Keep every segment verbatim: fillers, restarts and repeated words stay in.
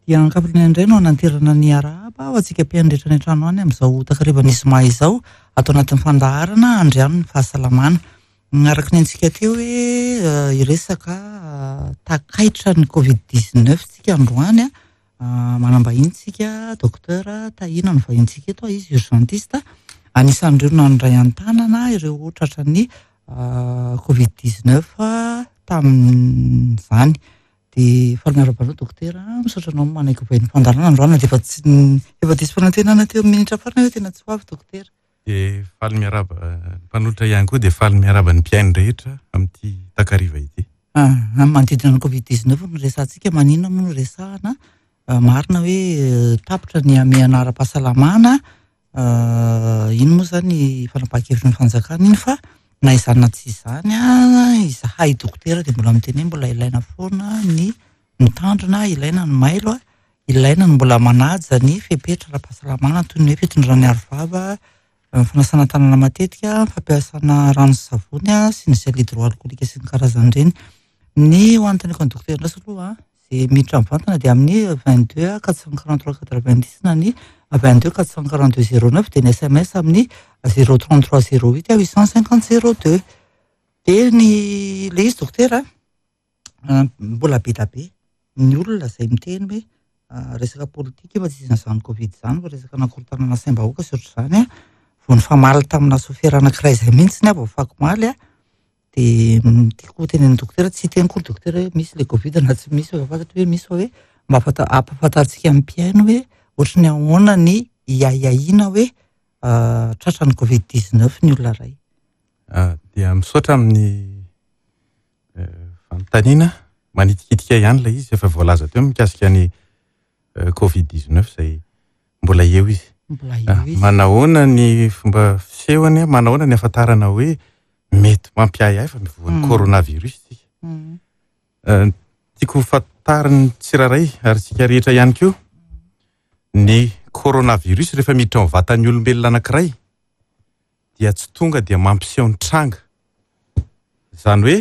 Ety Ankafirinena indray no hananterana ny arahaba ho antsika mpihaino rehetra any an-trano any amin'izao takarivan'ny zoma izao, ato anatin'ny fandaharana Andriano ny fahasalamana. Araka ny antsika teo hoe hiresaka takaitra ny Covid dix-neuf tsika androany. Manam-bahiny tsika, docteur Tahina no vahintsika eto, izy urgentiste, anisan'ireo nandray an-tanana ireo tratran'ny Covid dix-neuf tamin'izany. Dia faly miarahaba anao docteur, misaotra anao manaiky vahiny fandaharana androany, dia efa tsy efa diso fanantenana teo amin'ny minitra farany hoe tena tsy ho avy docteur. Dia faly miarahaba mpanolotra ihany koa, dia faly miarahaba ny mpihaino rehetra amin'ity takariva ity. Ah, manodidina ny Covid dix-neuf no resahantsika, maninona moa no resahana? Marina hoe tapitra ny hamehana ara-pahasalamana, iny moa izany fanapahan-kevitry ny fanjakana iny, fa na izany na tsy izany, izahay dokotera dia mbola miteny hoe mbola ilaina foana ny mitandrina, ilaina ny mailo, ilaina ny mbola manaja ny fepetra ara-pahasalamana toy ny hoe fitondrana ny arovava, fanasana tanana matetika, fampiasana rano sy savony sy ny gel hydroalcoolique sy ny karazan'ireny. Ny ho anontaniako ny dokotera indray aloha, izay miditra mivantana dia amin'ny vingt-deux quatre cent quarante-trois quatre-vingt-dix na ny vingt-deux quatre cent quarante-deux zéro neuf, dia ny S M S amin'ny zéro trente-trois zéro huit huit cent cinquante zéro deux. Dia ny le izy dokotera, mbola be dia be ny olona izay miteny hoe resaka politika fa tsy isan'izany Covid izany, fa resaka nankorotanana saim-bahoaka sy ohatr'izany. Vao nifamaly tamina sofera anankiray izay mihitsy aho vao afakomaly, dia tiako tenen'ny dokotera, tsy hiteny koa ny dokotera hoe misy le Covid na tsy misy, fa fantatro hoe misy, fa hoe mba afata-, ampahafantarintsika amin'ny mpihaino hoe ohatry ny ahoana ny hiahiahiana hoe tratran'ny Covid dix-neuf ny olona iray. Dia misaotra amin'ny fanontaniana, manitikitika ihany ilay izy, efa voalaza teo mikasika ny Covid dix-neuf izay mbola eo izy. Mbola eo izy. Manahoana ny fomba fisehony, manahoana ny ahafantarana hoe mety mampiahiahy fa mivoan'ny coronavirus isika. Tiako fantarin'ny tsirairay ary tsika rehetra ihany koa ny coronavirus rehefa miditra ao vatan'ny olombelona anankiray dia tsy tonga dia mampiseho ny tranga. Izany hoe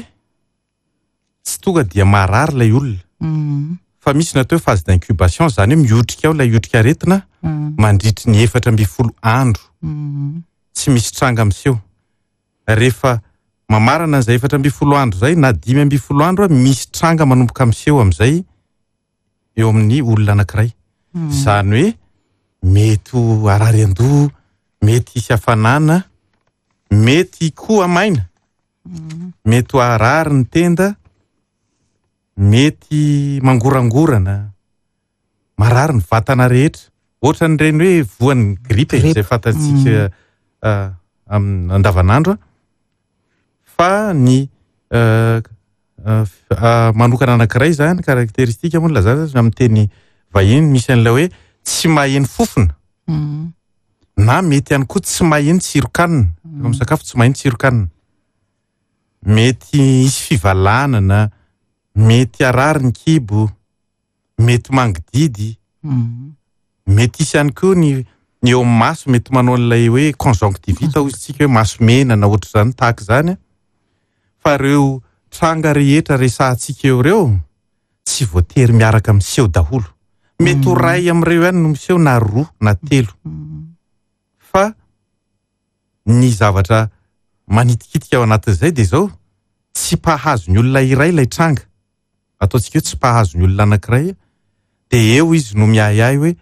tsy tonga dia marary ilay olona. Fa misy natao hoe phase d'incubation, izany hoe miotrika ao ilay otrikaretina mandritry ny efatra ambin'ny folo andro. Tsy misy tranga miseho. Rehefa mamarana an'izay efatra ambin'ny folo andro izay na dimy ambin'ny folo andro, misy tranga manomboka miseho amin'izay eo amin'ny olona anankiray. Izany hoe mety ho harary an-doha, mety hisy hafanana, mety koa maina, mety ho harary ny tenda, mety mangorangorana, marary ny vatana rehetra. Ohatran'ireny hoe voan'ny grippe izay fantatsika amin'ny andavanandro, fa ny manokana anankiray izany, karakteristika moa no lazaina amin'ny teny vahiny, misy an'ilay hoe tsy maheno fofona, na mety ihany koa tsy maheno tsiron-kanina. Rehefa misakafo tsy maheno tsiron-kanina, mety hisy fivalanana, mety harary ny kibo, mety mangididy, mety hisy ihany koa ny ny eo amin'ny maso, mety manao an'ilay hoe conjonctivite hoy isika, hoe maso mena na ohatr'izany tahaka izany. Fa ireo tranga rehetra resahantsika eo ireo tsy voatery miaraka miseho daholo. Mety ho iray amin'ireo ihany no miseho, na roa na telo. Fa ny zavatra manitikitika ao anatin'izay dia izao, tsy mpahazo ny olona iray ilay tranga. Ataontsika hoe tsy mpahazo ny olona anankiray, dia eo izy no miahiahy hoe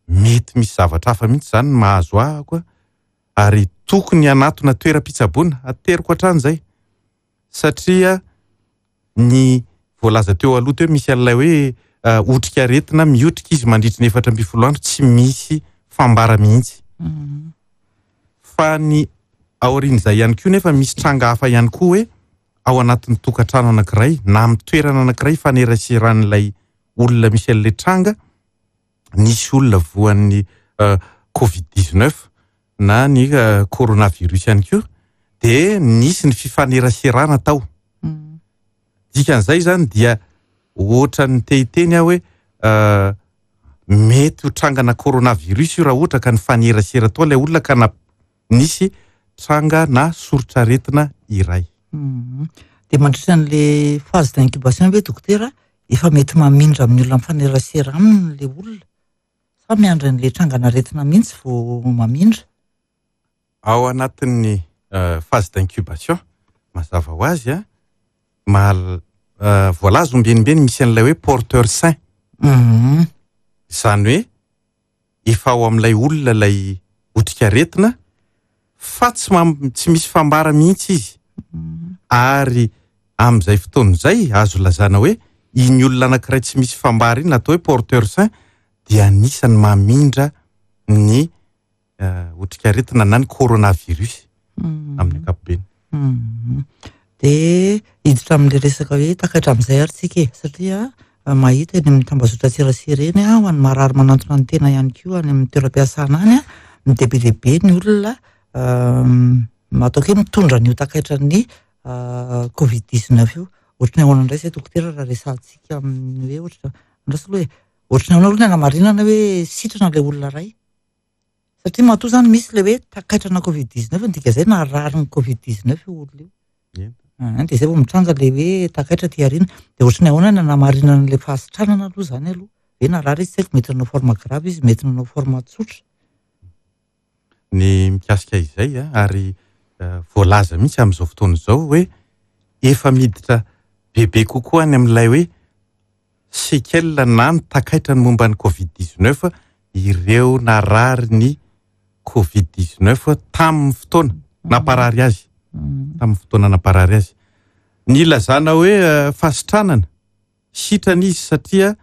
mety misy zavatra hafa mihitsy izany no mahazo ahy koa, ary tokony hanatona toeram-pitsaboana, ateriko hatrany izay. Satria ny voalaza teo aloha teo misy an'ilay hoe otrikaretina miotrika izy mandritry ny efatra ambin'ny folo andro, tsy misy fambara mihitsy. Fa ny aorian'izay ihany koa nefa misy tranga hafa ihany koa hoe ao anatin'ny tokantrano anankiray na amin'ny toerana anankiray faneraseran'ilay olona misy an'ilay tranga, nisy olona voan'ny Covid dix-neuf na ny coronavirus ihany koa, dia nisy ny fifaneraserana tao. Dikan'izay izany dia ohatran'ny te hiteny aho hoe mety ho trangana coronavirus io raha ohatra ka nifanerasera tao ilay olona ka na nisy tranga na soritr'aretina iray. Dia mandritra an'ilay phase d'incubation ve dokotera, efa mety mamindra amin'ny olona mifanerasera aminy le olona, sa miandry an'le trangan'aretina mihitsy vao mamindra? Ao anatin'ny phase d'incubation, mazava ho azy a, mahal- voalaza ombienimbeny misy an'ilay hoe porteur sain. Izany hoe efa ao amin'ilay olona ilay otrikaretina fa tsy mam- tsy misy fambara mihitsy izy. Ary amin'izay fotoana izay azo lazana hoe iny olona anankiray tsy misy fambara iny natao hoe porteur sain dia anisany mamindra ny otrikaretina na ny coronavirus amin'ny ankapobeny. De hiditra amin'le resaka hoe takaitra amin'izay ary tsika e, satria mahita eny amin'ny tambazotran-tserasera eny a, ho an'ny marary manantona ny tena ihany koa any amin'ny toeram-piasana any a, dia be dia be ny olona ataoko hoe mitondra an'io takaitran'ny covid dix-neuf io. Ohatry ny ahoana indray izay dokotera raha resahantsika amin'ny hoe ohatra andraso aloha e, ohatry ny ahoana aloha ny anamarinana hoe sitrana ilay olona iray? Satria matoa zany misy le hoe takaitrana covid dix-neuf, ny dikan'izay narary ny covid dix-neuf io olona io. Dia izay vao mitranga le hoe takaitra aty aoriana. Dia ohatry ny ahoana ny anamarinana an'ilay fahasitranana aloha zany aloha? Hoe narary izy tsy haiko, mety nanao forme grave izy, mety nanao forme tsotra. Ny mikasika izay a, ary voalaza mihitsy amin'izao fotoana izao hoe efa miditra bebe kokoa any amin'ilay hoe séquelle na ny takaitra ny momba ny covid dix-neuf ireo narary ny covid dix-neuf tamin'ny fotoana namparary azy. Tamin'ny fotoana namparary azy. Ny ilazana hoe fahasitranana, sitrana izy satria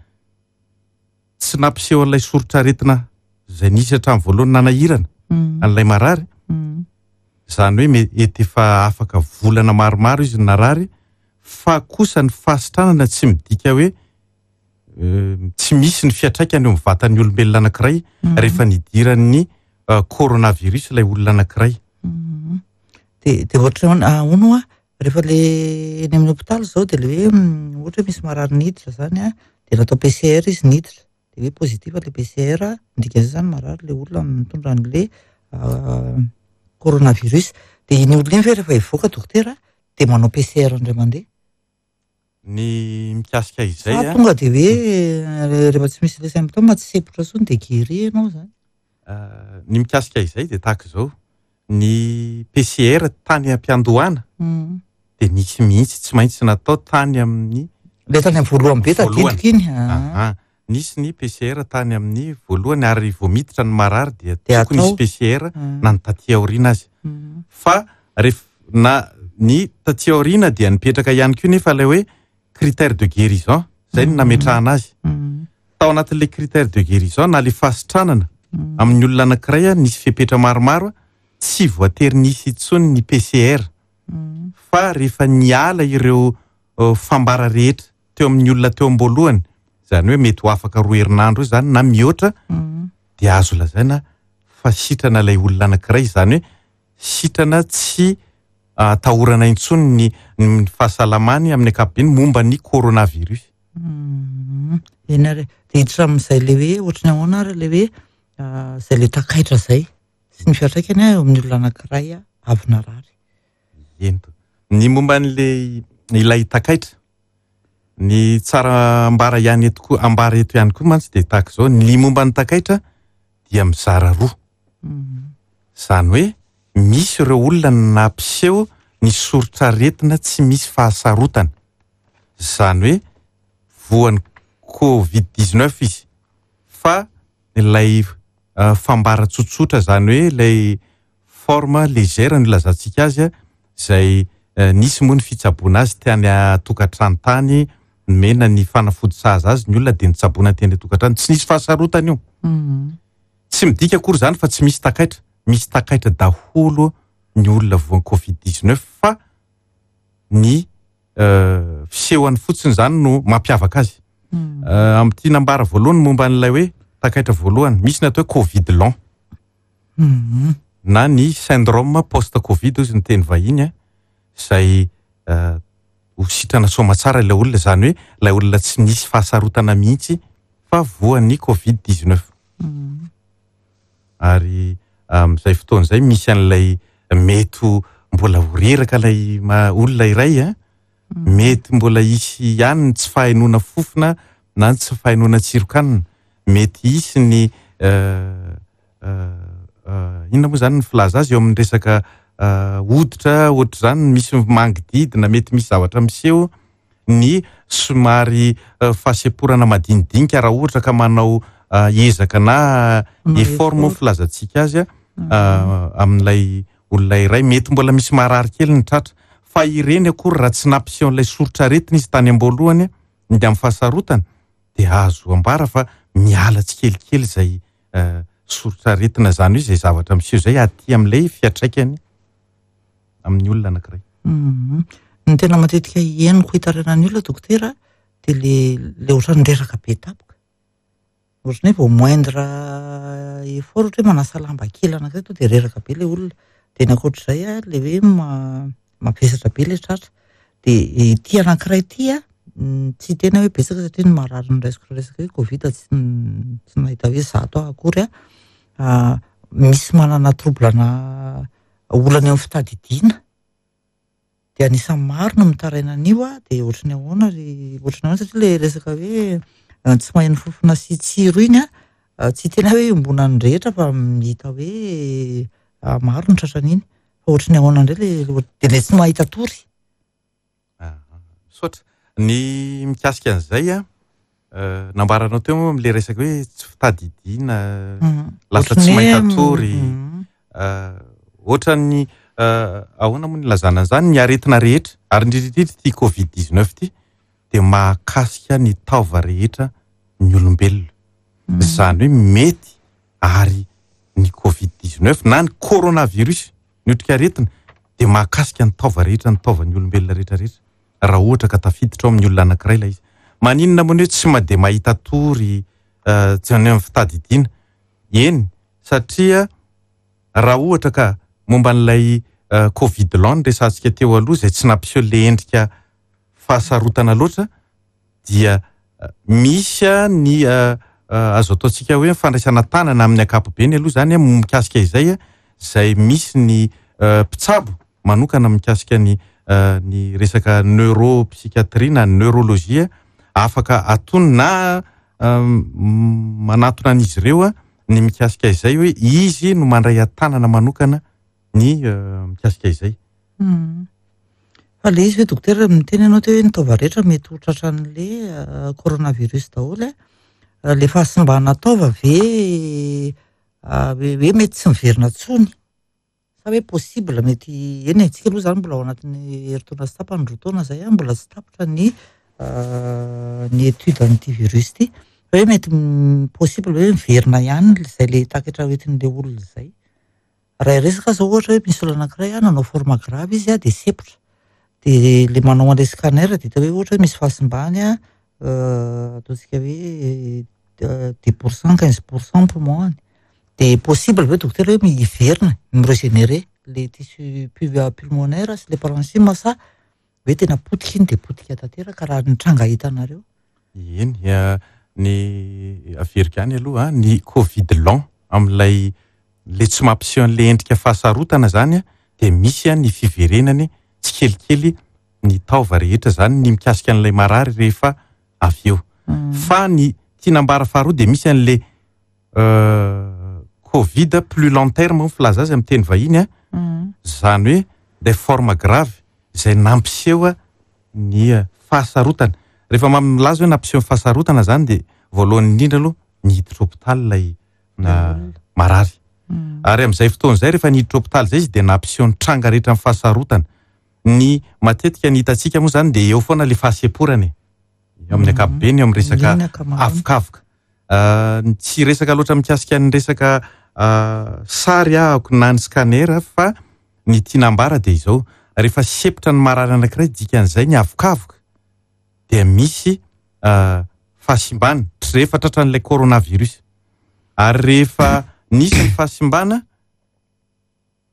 tsy nampiseho an'ilay soritr'aretina izay nisy hatramin'ny voalohany nanahirana an'ilay marary. Izany hoe mety efa afaka volana maromaro izy narary, fa kosa ny fahasitranana tsy midika hoe tsy misy ny fiantraikany eo amin'ny vatan'ny olombelona anankiray rehefa nidiran'ny coronavirus ilay olona anankiray. Dia dia ohatra hoe ahoana hoa, rehefa le eny amin'ny hopitaly izao dia le hoe ohatra hoe misy marary niditra zany a, dia natao P C R izy niditra, dia hoe positif le P C R, ny dikan'izay zany marary le olona mitondra an'le coronavirus. Dia iny olona iny ve rehefa hivoaka dokotera dia manao P C R indray mandeha? Ny mikasika izay Sa a, tonga dia hoe rehefa tsy misy le symptôme tsy sempotra intsony dia guéri ianao zany? Ny mikasika izay dia tahaka izao, ny P C R tany am-piandohana dia nisy mihitsy tsy maintsy natao tany amin'ny Le tany amin'ny voalohany be voalohany. tadidiko iny. Aha. Nisy ny P C R tany amin'ny voalohany ary vao miditra ny marary dia Dia tokony hisy atao. P C R na ny taty aoriana azy. Fa rehefa na ny taty aoriana dia nipetraka ihany koa nefa ilay hoe critère de guérison, izay no nametrahana azy. Tao anatin'ilay critère de guérison na le fahasitranana amin'ny olona anankiray a, nisy fepetra maromaro a, tsy voatery nisy intsony ny P C R. Fa rehefa niala ireo fambara rehetra teo amin'ny olona teo am-boalohany, izany hoe mety ho afaka roa herinandro io zany na mihoatra, dia azo lazaina fa sitrana ilay olona anankiray, izany hoe sitrana tsy atahorana intsony ny, ny fahasalamany amin'ny ankapobeny momba ny coronavirus. Eny ary, dia hiditra amin'izay le hoe ohatry ny ahoana ary le hoe izay le takaitra izay sy ny fiantraikany eo amin'ny olona anankiray avy narary. Eny. Ny momba an'ilay ilay takaitra, ny tsara ambara ihany eto koa, ambara eto ihany koa mantsy dia tahaka izao, ny momba ny takaitra dia mizara roa. Izany hoe misy ireo olona nampiseho ny soritr'aretina tsy misy fahasarotana. Izany hoe voan'ny covid dix-neuf izy, fa ilay fambara tsotsotra, izany hoe ilay forme légère no ilazantsika azy, izay nisy moa ny fitsaboana azy tany an-tokantrano tany, nomena ny fanafody sahaza azy ny olona dia nitsaboana teny an-tokantrano, tsy nisy fahasarotana io. Tsy midika akory izany fa tsy misy takaitra, misy takaitra daholo ny olona voan'ny covid dix-neuf, fa ny fisehony fotsiny izany no mampiavaka azy. Amin'ity nambara voalohany momba an'ilay hoe takaitra voalohany, misy ny atao hoe covid long na ny syndrome post-covid hozy ny teny vahiny a, izay ho sitrana soamantsara ilay olona, izany hoe ilay olona tsy nisy fahasarotana mihitsy fa voan'ny covid dix-neuf. Ary amin'izay fotoana izay misy an'ilay mety ho mbola ho reraka ilay ma-, olona iray a, Mety mbola hisy ihany ny tsy fahenoana fofona na ny tsy fahenoana tsiron-kanina. Mety hisy ny inona moa zany ny filaza azy eo amin'ny resaka hoditra ohatr'izany, misy mangididina, mety misy zavatra miseho, ny somary fahasemporana madinidinika raha ohatra ka manao ezaka na effort moa filazantsika azy amin'ilay olona iray. Mety mbola misy marary kely ny tratra, fa ireny akory raha tsy nampiseho an'ilay soritr'aretina izy tany am-boalohany ny amin'ny fahasarotana, dia azo ambara fa miala tsikelikely izay soritr'aretina zany hoe izay zavatra miseho izay aty amin'ilay fiantraikany amin'ny olona anankiray. Ny tena matetika henoko hitarainan'ny olona dokotera dia le le ohatran'ny reraka be tampoka. Ohatran'ny hoe vao moindre effort, ohatra hoe manasa lamba kely anankiray to dia reraka be le olona. Dia ny ankoatr'izay a, le hoe mavesatra be le tratra. Dia ity anankiray ity a, tsy tena hoe betsaka satria ny marary noraisiko resaka hoe Covid tsy tsy nahita hoe zato aho akory a. Misy manana trouble na olana eo amin'ny fitadidiana. Dia anisan'ny maro no mitaraina an'io a, dia ohatran'ny ahoana ry ohatran'ny ahoana satria le resaka hoe tsy maheno fofona sy tsiro iny a, tsy tena hoe iombonan'ny rehetra fa hita hoe maro ny tratran'iny. Fa ohatran'ny ahoana indray le dia le tsy mahita tory. Misaotra. Ny mikasika an'izay a, nambaranao teo moa amin'ilay resaka hoe tsy fitadidiana, lasa tsy mahita tory. Ohatran'ny ahoana moa ny ilazana an'izany, ny aretina rehetra, ary indrindra indrindra ity Covid dix-neuf ity dia mahakasika ny taova rehetra ny olombelona. Izany hoe mety ary ny Covid dix-neuf na ny coronavirus, ny otrikaretina, dia mahakasika ny taova rehetra, ny taovan'ny olombelona rehetra rehetra, raha ohatra ka tafiditra ao amin'ny olona anankiray ilay izy. Maninona moa ny hoe tsy ma dia mahita tory, tsy any amin'ny fitadidiana? Eny, satria raha ohatra ka momba an'ilay Covid long resahantsika teo aloha izay tsy nampiseho ilay endrika fahasarotana loatra, dia misy ny azo ataontsika hoe fandraisana tanana amin'ny ankapobeny aloha zany mikasika izay, izay misy ny mpitsabo manokana mikasika ny ny resaka neuropsychiatrie na neurologie, afaka atony na manatona an'izy ireo ny mikasika izay hoe izy no mandray an-tanana manokana ny mikasika izay. Fa le izy hoe dokotera miteny ianao teo hoe ny taova rehetra mety ho tratran'le coronavirus daholo a, le fahasimbana taova ve hoe mety tsy miverina intsony? Sa hoe possible mety eny antsika aloha zany mbola ao anatin'ny herintaona sy tapany roa taona izay a, mbola tsy tapitra ny ny étude an'ity virus ity, fa hoe mety possible hoe miverina ihany izay le takatra hoentin'le olona izay. Raha resaka zao ohatra hoe misy olona anankiray a nanao forme grave izy a dia sepotra, dia le manao an'ilay scanner dia hita hoe ohatra hoe misy fahasimbany a, ataontsika hoe dix pour cent, quinze pour cent poumon-ny. Dia possible ve dokotera hoe miverina mi-régénérer le tissu pulmonaire sy le parenchyme sa hoe tena potika iny dia potika tanteraka raha ny tranga hitanareo? Eny, ny averiko ihany aloha ny Covid long amin'ilay le tsy mampiseho an'ilay endrika fahasarotana zany dia misy ny fiverenany tsikelikely ny taova rehetra zany ny mikasika an'ilay marary rehefa avy eo. Fa ny tiana ambara faharoa dia misy an'ilay Covid plus long terme moa filaza azy amin'ny teny vahiny a, zany hoe des formes graves izay nampiseho ny fahasarotana. Rehefa milaza hoe nampiseho ny fahasarotana zany dia voalohany indrindra aloha niditra hôpitaly ilay marary. Ary amin'izay fotoana izay rehefa niditra hôpitaly izay izy dia nampiseho ny tranga rehetra amin'ny fahasarotana. Ny matetika ny hitantsika moa zany dia eo foana ilay fahasemporana e. Eo amin'ny ankapobeny, eo amin'ny resaka avokavoka. Tsy resaka loatra mikasika ny resaka sary ahako na ny scanner fa ny tiana ambara dia izao, rehefa sepotra ny marary anankiray dikan'izay ny avokavoka dia misy fahasimbana rehefa tratran'ilay coronavirus. Ary rehefa nisy ny fahasimbana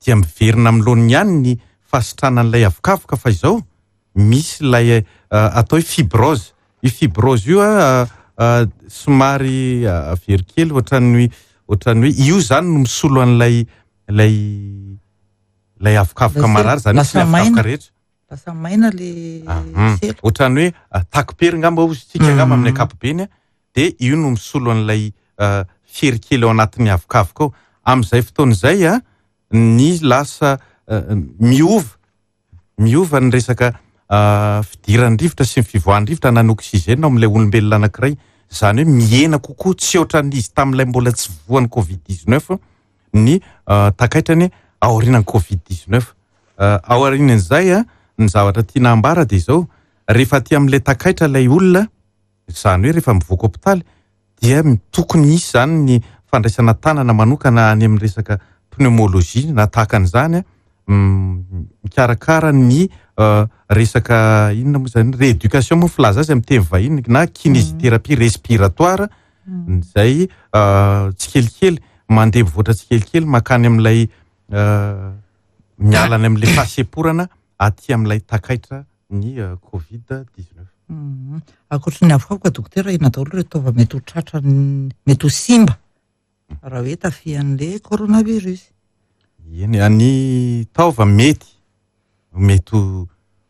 dia miverina amin'ny laoniny ihany ny fahasitranan'ilay avokavoka, fa izao misy ilay atao hoe fibrose. Io fibrose io a somary avery kely ohatran'ny ohatran'ny hoe io zany no misolo an'ilay ilay ilay avokavoka marary zany, sy ny avokavoka rehetra. Lasa maina le sela. Ohatran'ny hoe takopery angamba hozy tsika angamba amin'ny ankapobeny, dia io no misolo an'ilay fery kely ao anatin'ny avokavoka ao. Amin'izay fotoana izay a, ny lasa miova, miova ny resaka fidiran'ny rivotra sy ny fivoahan'ny rivotra na ny oxygène ao amin'ilay olombelona anankiray. Izany hoe mihena kokoa, tsy ohatran'izy tamin'ilay mbola tsy voan'ny covid dix-neuf ny takaitrany aorian'ny covid dix-neuf. Aorian'izay a, ny zavatra tiana ambara dia izao, rehefa aty amin'ilay takaitra ilay olona, izany hoe rehefa mivoaka hopitaly, dia tokony hisy izany ny fandraisana tanana manokana any amin'ny resaka pneumologie na tahaka an'izany, mikarakara ny resaka inona moa izany, rééducation moa filaza azy amin'ny teny vahiny, na kinésithérapie respiratoire, izay tsikelikely mandeha mivoatra tsikelikely mankany amin'ilay miala any amin'ilay fahasemporana aty amin'ilay takaitra ny covid dix-neuf. Ankoatry ny avokavoka dokotera, inona daholo ireo taova mety ho tratra, mety ho simba raha hoe tafihan'ilay coronavirus? Eny, ny taova mety mety ho,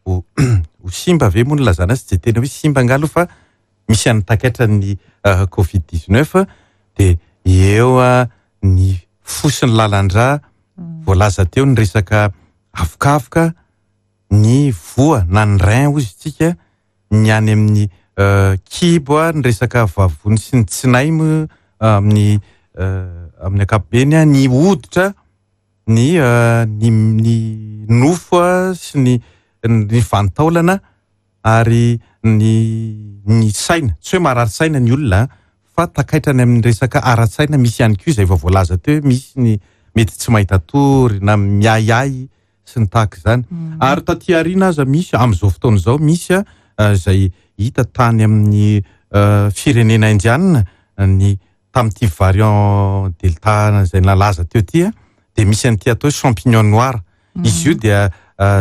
ho, ho simba ve moa no lazana azy, tsy de tena hoe simba angamba aloha fa misy an'ny takaitra ny covid dix-neuf, dia eo ny fo sy ny lalan-drà, voalaza teo ny resaka avokavoka, ny voa na ny rein hozy tsika, ny any amin'ny kibo, ny resaka vavony sy ny tsinay moa amin'ny, amin'ny ankapobeny, ny hoditra, ny, ny, ny nofo sy ny, ny vanin-taolana ary ny, ny saina. Tsy hoe marary saina ny olona fa takaitra any amin'ny resaka ara-tsaina misy ihany koa izay efa voalaza teo, misy ny mety tsy mahita tory na miahiahy sy ny tahaka izany. Ary taty aoriana aza misy, amin'izao fotoana izao misy izay hita tany amin'ny firenena indianina, ny tamin'ity variant delta izay nalaza teo ity, dia misy an'ity atao hoe champignon noir. Izy io dia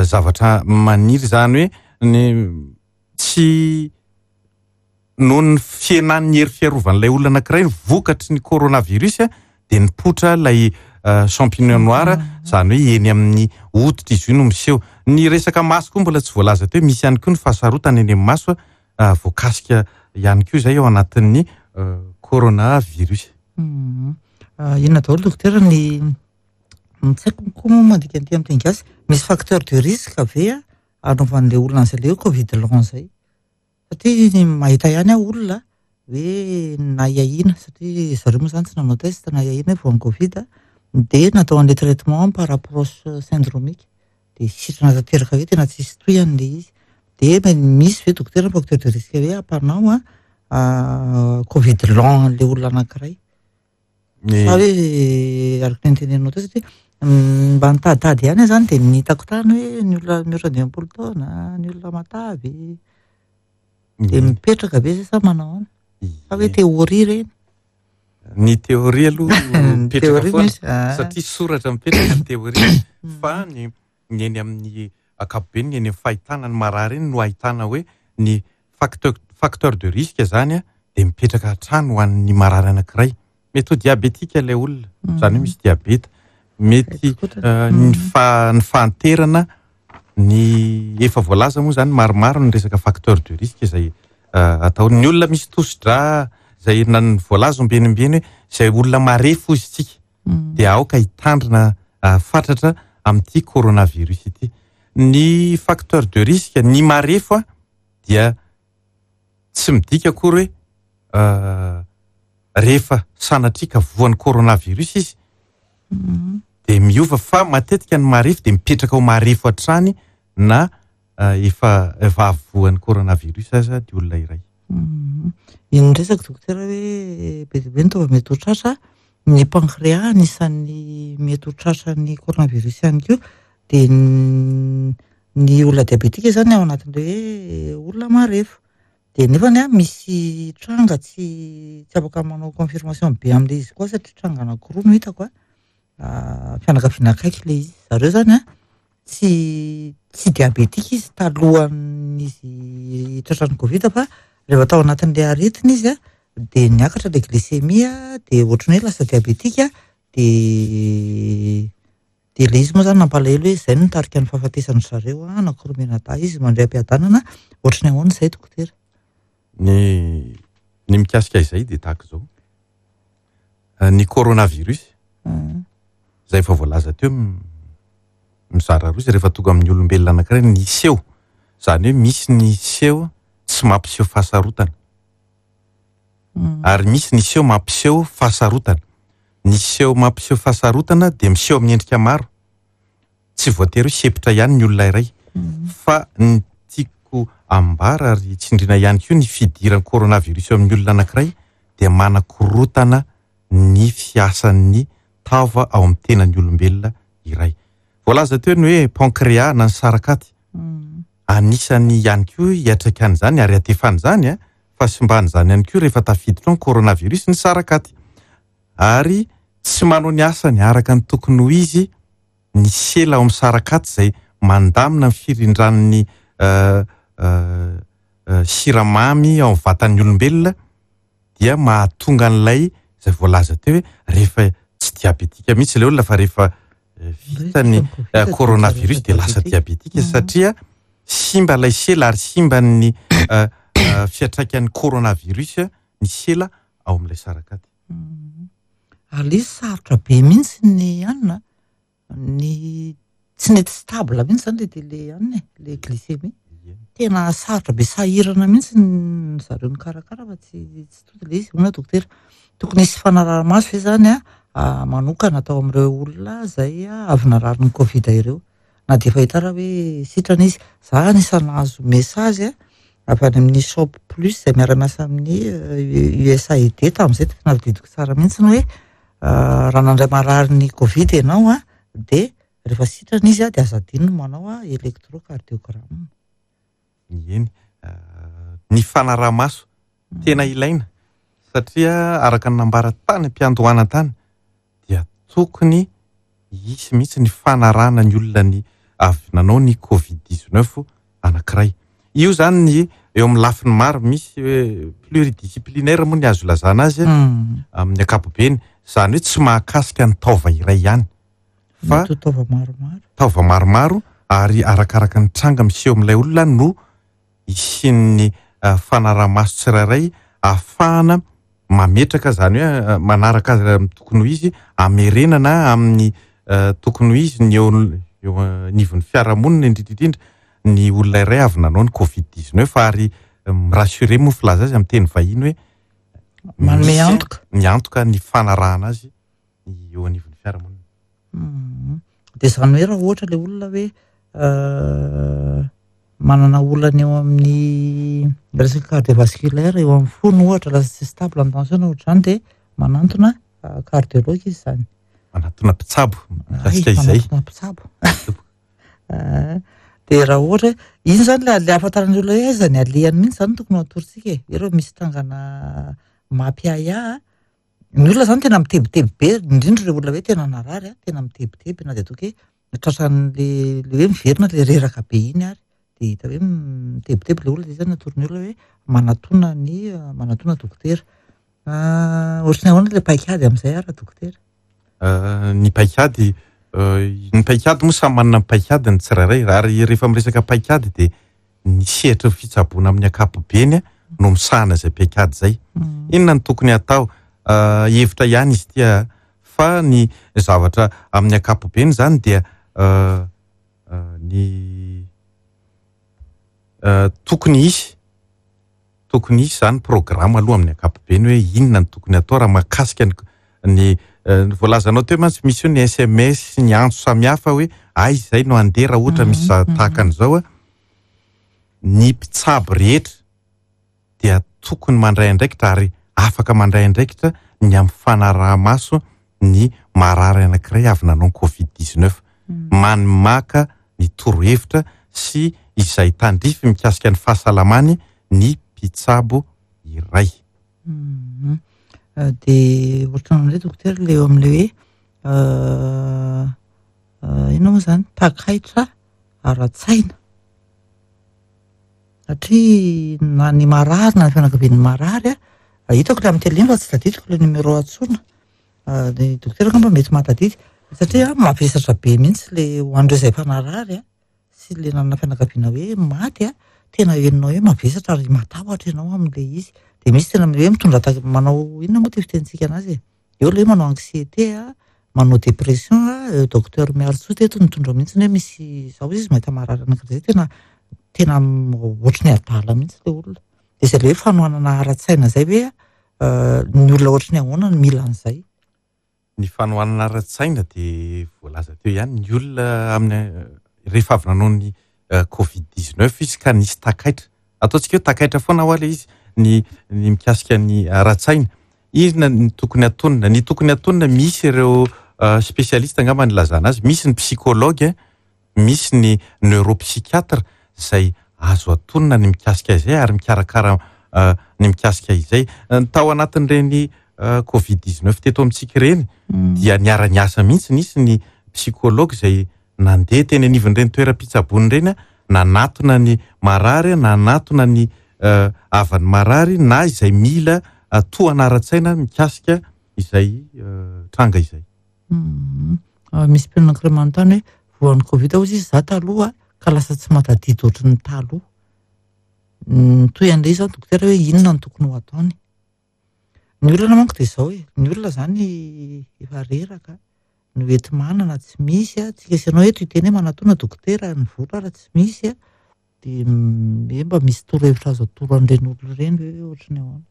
zavatra maniry, izany hoe ny tsy noho ny fihenan'ny hery fiarovan'ilay olona anankiray vokatry ny coronavirus, dia nipoitra ilay champignon noir, izany hoe eny amin'ny hoditra izy io no miseho. Ny resaka maso koa mbola tsy voalaza teo, misy ihany koa ny fahasarotana eny amin'ny maso, voakasika ihany koa izay ao anatin'ny coronavirus. Inona daholo dokotera ny, ny tsy haiko koa moa mandika an'ity amin'ny teny gasy, misy facteur de risque ve anaovan'ilay olona an'izay ilay hoe covid long izay? Satria mahita ihany aho olona hoe nahiahiana, satria zareo moa izany tsy nanao test, nahiahiana hoe voan'ny covid, dia natao an'ilay traitement par approche syndromique, dia sitrana tanteraka hoe tena tsisy tohiny ilay izy. Dia misy ve dokotera facteur de risque hoe ampanao a covid long an'ilay olona anankiray? Sa hoe araka ny noteneninao teo, satria mba nitaditady ihany aho izany dia ny hitako tany hoe ny olona mihoatra dimampolo taona, ny olona matavy, dia mipetraka be zay sa manao ahoana? Sa hoe théorie ireny? Ny théorie aloha mipetraka Théorie foana, misy, ah. satria soratra mipetraka ny théorie, fa ny, ny eny amin'ny ankapobeny, ny eny amin'ny fahitana ny marary eny no ahitana hoe ny facteur, facteur de risque zany a, dia mipetraka hatrany ho an'ny marary anankiray. Mety ho diabetika ilay olona, izany hoe misy diabeta, mety, eh, ny fa-, ny fahanterana, ny efa voalaza moa zany maromaro ny resaka facteur de risque izay, eh, atao. Ny olona misy tosi-drà izay na ny voalaza ombienimbeny hoe izay olona marefo izy tsika, dia aoka hitandrina, eh, fatratra amin'ity coronavirus ity. Ny facteur de risque, ny marefo a, dia tsy midika akory hoe, eh, rehefa sanatria ka voan'ny coronavirus izy, dia miova, fa matetika ny marefo dia mipetraka ho marefo hatrany na, eh, efa, efa voan'ny coronavirus aza ny olona iray. Iny resaka dokotera hoe be dia be ny taova mety ho tratra, ny pancréas anisan'ny mety ho tratra ny coronavirus ihany koa, dia ny, ny olona diabetika izany ao anatin'ilay hoe olona marefo. Dia nefany a, misy tranga tsy, tsy afaka manao confirmation be amin'ilay izy koa, satria tranga anankiroa no hitako a, ah, fianakaviana akaiky ilay izy. Zareo izany a, tsy, tsy diabetika izy talohan'izy tratran'ny covid, fa rehefa tao anatin'ilay aretina izy a, dia niakatra ilay glycémie, dia ohatran'ny hoe lasa diabetika, dia, Dia ilay izy moa izany nampalahelo hoe izay no nitarika ny fahafatesan-dry zareo a, anankiroa mianadahy izy mandray am-piadanana. Ohatry ny ahoana izay, dokotera? Ny ny mikasika izay dia tahaka izao. Ny coronavirus izay efa voalaza teo, mizara roa izy rehefa tonga amin'ny olombelona anankiray ny seho. Izany hoe misy ny seho tsy mampiseho fahasarotana. Ary misy ny seho mampiseho fahasarotana. Ny seho mampiseho fahasarotana dia miseho amin'ny endrika maro. Tsy voatery hoe sempotra ihany ny olona iray. Fa ny tiako ambara ary tsindriana ihany koa, ny fidiran'ny coronavirus eo amin'ny olona anankiray dia manakorotana ny fiasan'ny taova ao amin'ny tenan'ny olombelona iray. Voalaza teo ny hoe pancréas na ny sarakaty. Anisany ihany koa hiatraikan'izany ary atefan'izany a, fahasimban'izany ihany koa rehefa tafiditra ao ny coronavirus ny sarakaty. Ary tsy manao ny asany araka ny tokony ho izy ny sela ao amin'ny sarakaty izay mandamina ny firindran'ny siramamy ao amin'ny vatan'ny olombelona, dia mahatonga an'ilay izay voalaza teo hoe rehefa tsy diabetika mihitsy ilay olona fa rehefa vita ny coronavirus dia lasa diabetika, satria simba ilay sela ary simba ny fiantraikan'ny coronavirus ny sela ao amin'ilay sarakaty. Ary ilay izy sarotra be mihitsy ny anina, ny tsy nety stable mihitsy zany le le anina e, le glycémie. Tena sarotra be, sahirana mihitsy ny zareo nikarakara fa tsy tsy tody ilay izy. Hoy dokotera, tokony hisy fanaraha-maso ve zany a manokana atao amin'ireo olona izay avy narary ny Covid ireo, na dia efa hita raha hoe sitrana izy? Za anisan'ny nahazo message avy any amin'ny Shop Plus izay miara-miasa amin'ny U S A I D tamin'izay, tena tadidiko tsara mihitsy ny hoe raha nandray marary ny Covid ianao a, dia rehefa sitrana izy a dia aza adino ny manao électrocardiogramme. Eny, ny fanaraha-maso tena ilaina, satria araka ny nambara tany am-piandohana tany dia tokony hisy mihitsy ny fanarahana ny olona ny avy nanao ny Covid dix-neuf anankiray. Io zany ny eo amin'ny lafiny maro, misy hoe pluridisciplinaire moa ny azo lazana azy amin'ny ankapobeny, izany hoe tsy mahakasika ny taova iray ihany fa taova maromaro. Taova maromaro, ary arakaraka ny tranga miseho amin'ilay olona no hisian'ny fanaraha-maso tsirairay ahafahana mametraka, izany hoe manaraka azy amin'ny tokony ho izy, amerenana amin'ny tokony ho izy ny eo eo anivon'ny fiarahamonina, indrindra indrindra ny olona iray avy nanao ny Covid dix-neuf. Ary mi-rassurer moa filaza azy amin'ny teny vahiny hoe manome antoka, miantoka ny fanarahana azy eo anivon'ny fiarahamonina. Dia izany hoe raha ohatra ilay olona hoe manana olana eo amin'ny resaka cardiovasculaire eo amin'ny fony ohatra, lasa tsy stable ny tension ohatr'izany, dia manantona cardiologue izy izany. Manantona mpitsabo mikasika izay. Manantona mpitsabo. Dia raha ohatra iny izany ilay ilay ahafantaran'ny olona hoe aiza ny alehany mihitsy izany tokony ho atorontsika e. Ireo misy trangana mampiahiahy ny olona izany, tena mitebiteby be, indrindra ireo olona hoe tena narary, tena mitebiteby na dia ataoko hoe tratran'le le hoe miverina le reraka be iny ary dia hita hoe mitebiteby ilay olona, dia izany atoron'ny olona hoe manatona ny manatona dokotera. Ohatry ny ahoana ilay paikady amin'izay ary dokotera? Ny paikady, ny paikady moa samy manana ny paikady ny tsirairay, ary rehefa miresaka paikady dia ny sehatra fitsaboana amin'ny ankapobeny no misahana izay paikady izay. Inona no tokony hatao? Hevitra ihany izy ity, fa ny zavatra amin'ny ankapobeny izany dia ny tokony hisy, tokony hisy izany programme aloha amin'ny ankapobeny hoe inona no tokony hatao raha mahakasika ny ny voalazanao teo mantsy misy io ny S M S sy ny antso samihafa hoe aiza izay no handeha raha ohatra misy tahaka an'izao. Ny mpitsabo rehetra dia tokony mandray andraikitra ary afaka mandray andraikitra ny amin'ny fanaraha-maso ny marary anankiray avy nanao Covid dix-neuf. Manmaka ny torohevitra sy izay tandrify mikasika ny fahasalamany ny mpitsabo iray. Dia ohatran'izay dokotera ilay eo amin'ilay hoe inona moa izany takaitra ara-tsaina, satria na ny marary na ny fianakavian'ny marary a, hitako ilay amin'ny télé fa tsy tadidiko ilay numéro antsoina, ny dokotera angamba mety mahatadidy. Satria mavesatra be mihitsy le ho an'ireo izay efa narary a, sy le nanana fianakaviana hoe maty a, tena henonao hoe mavesatra ary matahotra ianao amin'le izy. De misy tena hoe mitondra ta- manao inona moa ty fitenintsika anazy e? Eo le hoe manao anxiété a, manao dépression a, docteur Miarintsoa teto nitondra mihitsy hoe misy zao izy mahita marary anankiray zay tena tena ohatry ny adala mihitsy le olona. De zay le hoe fanohanana ara-tsaina zay hoe ny olona ohatry ny ahoana no mila an'izay. Ny fanohanana ara-tsaina de voalaza teo ihany ny olona amin'ny rehefa avy nanao ny covid dix-neuf izy ka nisy takaitra. Ataontsika hoe takaitra foana ho le izy ny ny mikasika ny ara-tsaina. Inona ny tokony atonina? Ny tokony atonina misy ireo spécialiste angamba ny ilazana azy, misy ny psychologue, misy ny neuropsychiatre izay azo atonina ny mikasika izay ary mikarakara ny mikasika izay. Tao anatin'ireny covid dix-neuf teto amintsika ireny dia niara-niasa mihitsy, nisy ny psychologue izay nandeha teny anivon'ireny toeram-pitsaboana ireny, nanatona ny marary, nanatona ny havan'ny marary na izay mila tohana ara-tsaina mikasika izay tranga izay. Misy mpianatra anankiray manontany hoe voan'ny covid hozy izy za taloha ka lasa tsy mahatadidy ohatry ny taloha. Mitohy an'ilay izy zany dokotera hoe inona no tokony ho ataony. Ny olana manko dia izao e, ny olona zany efa reraka, ny hoenti-manana tsy misy a, tsika sy ianao eto hiteny hoe manatona dokotera, ny vola ara tsy misy a, dia hoe mba misy torohevitra azo atoro an'ireny olona ireny ve hoe ohatry ny ahoana?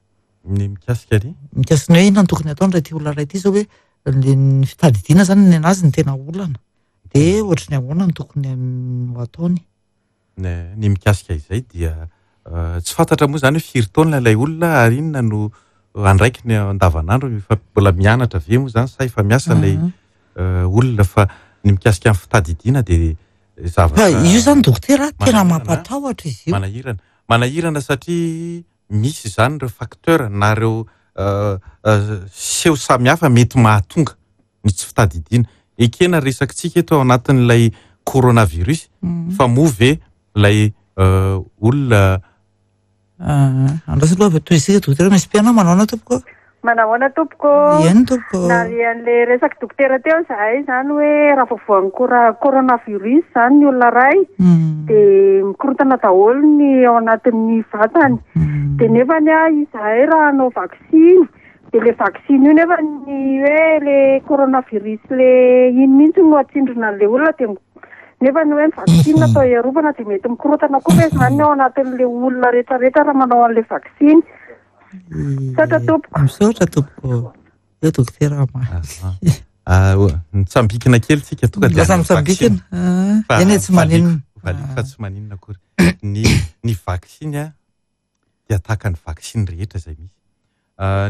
Ny mikasika ny? Mikasika ny hoe inona no tokony ataony raha ity olona iray ity zao hoe le ny fitadidiana zany ny anazy ny tena olana, dia ohatry ny ahoana no tokony ho ataony? Ny mikasika izay dia tsy fantatra moa zany hoe firy taona ilay olona ary inona no andraikiny andavanandro, efa mbola mianatra ve moa zany sa efa miasa ilay olona, fa ny mikasika ny fitadidiana dia zavatra Fa io zany dokotera tena mampatahotra izy io. Manahirana, manahirana satria misy zany ireo facteur na ireo seho samihafa mety mahatonga ny tsy fitadidiana. Ekena resakitsika eto ao anatin'ilay coronavirus, fa moa ve ilay olona Andraso aloha avy toy isika dokotera, misy mpianao manahoana tompoko? Manahoana tompoko? Eny tompoko. Narian'le resaky dokotera teo zahay zany hoe raha vao voan'ny cora- coronavirus zany ny olona iray dia mikorontana daholo ny ao anatin'ny vatany. Dia nefany a izahay raha hanao vaksiny dia le vaksiny io nefa ny hoe le coronavirus le iny mihitsy no atsindrona an'le olona, dia nefa ny hoe ny vaksiny natao hiarovana dia mety mikorontana koa ve zany ao anatin'le olona rehetrarehetra raha manao an'le vaksiny? Misaotra tompoko. Misaotra tompoko. Eo dokotera ma. Mitsambikina kely tsika tonga dia Lasa any amin'ny mitsambikina. vaksiny. Fa Eny e, tsy maninona. valiko fa tsy maninona akory. Ny ny vaksiny a dia tahaka ny vaksiny rehetra izay misy.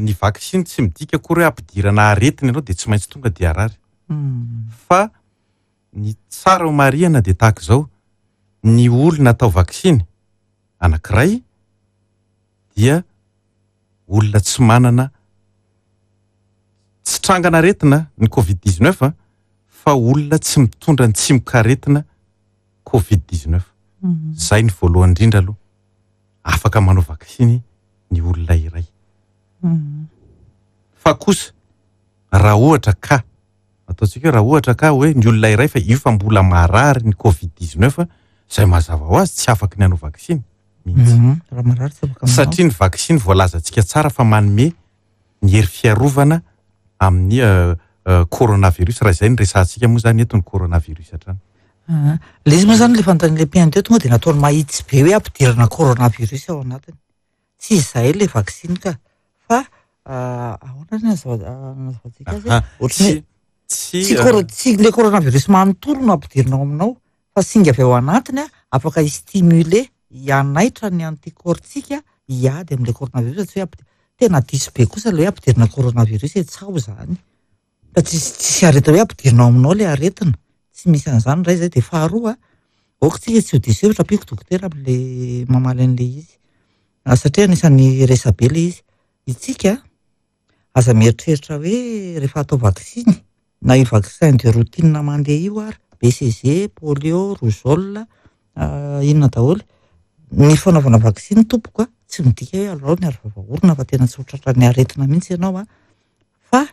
Ny vaksiny tsy midika akory hoe ampidirana aretina ianao dia tsy maintsy tonga dia harary. Fa ny tsara ho marihana dia tahaka izao, ny olona atao vaksiny anankiray dia olona tsy manana tsy trangana aretina ny covid dix-neuf fa olona tsy mitondra ny tsimokaretina covid dix-neuf. Zay ny voalohany indrindra aloha. Afaka manao vaksiny ny olona iray. Fa kosa raha ohatra ka ataontsika hoe raha ohatra ka hoe ny olona iray fa io fa mbola marary ny covid dix-neuf, zay mazava ho azy tsy afaky ny hanao vaksiny mihitsy. Raha marary tsy afaka manao. Satria ny vaksiny voalazantsika tsara fa manome ny hery fiarovana amin'ny coronavirus, raha izay no resahantsika moa zany eto ny coronavirus hatrany. Le izy moa zany le fanontanian'ilay mpihaino teo tonga dia nataony mahitsy be hoe ampidirana coronavirus ao anatiny. Tsy izay le vaksiny ka, fa ahoana ny nazavantsika azy? Ohatry ny Tsy tsy coro- tsy le coronavirus manontolo no ampidirina ao aminao, fa singa avy ao anatiny a, afaka hi-stimuler, hanaitra ny anticorps-tsika hiady amin'ilay coronavirus, tsy hoe ampi-, tena diso be kosa le hoe ampidirina coronavirus e, tsaho zany. Fa tsisy tsisy aretina hoe ampidirina ao aminao le aretina. Tsy misy an'izany indray zay. Dia faharoa, aoka tsika tsy ho diso hevitra ampiko dokotera amin'le mamaly an'le izy. Satria anisan'ny resabe le izy. Itsika aza mieritreritra hoe rehefa atao vaksiny na io vaccin de routine mandeha io ary B C G, polio, rougeole, inona daholo. Ny fanaovana vaksiny tompoko a, tsy midika hoe alao ny arovava orona fa tena tsy ho tratran'ny aretina mihitsy ianao a, fa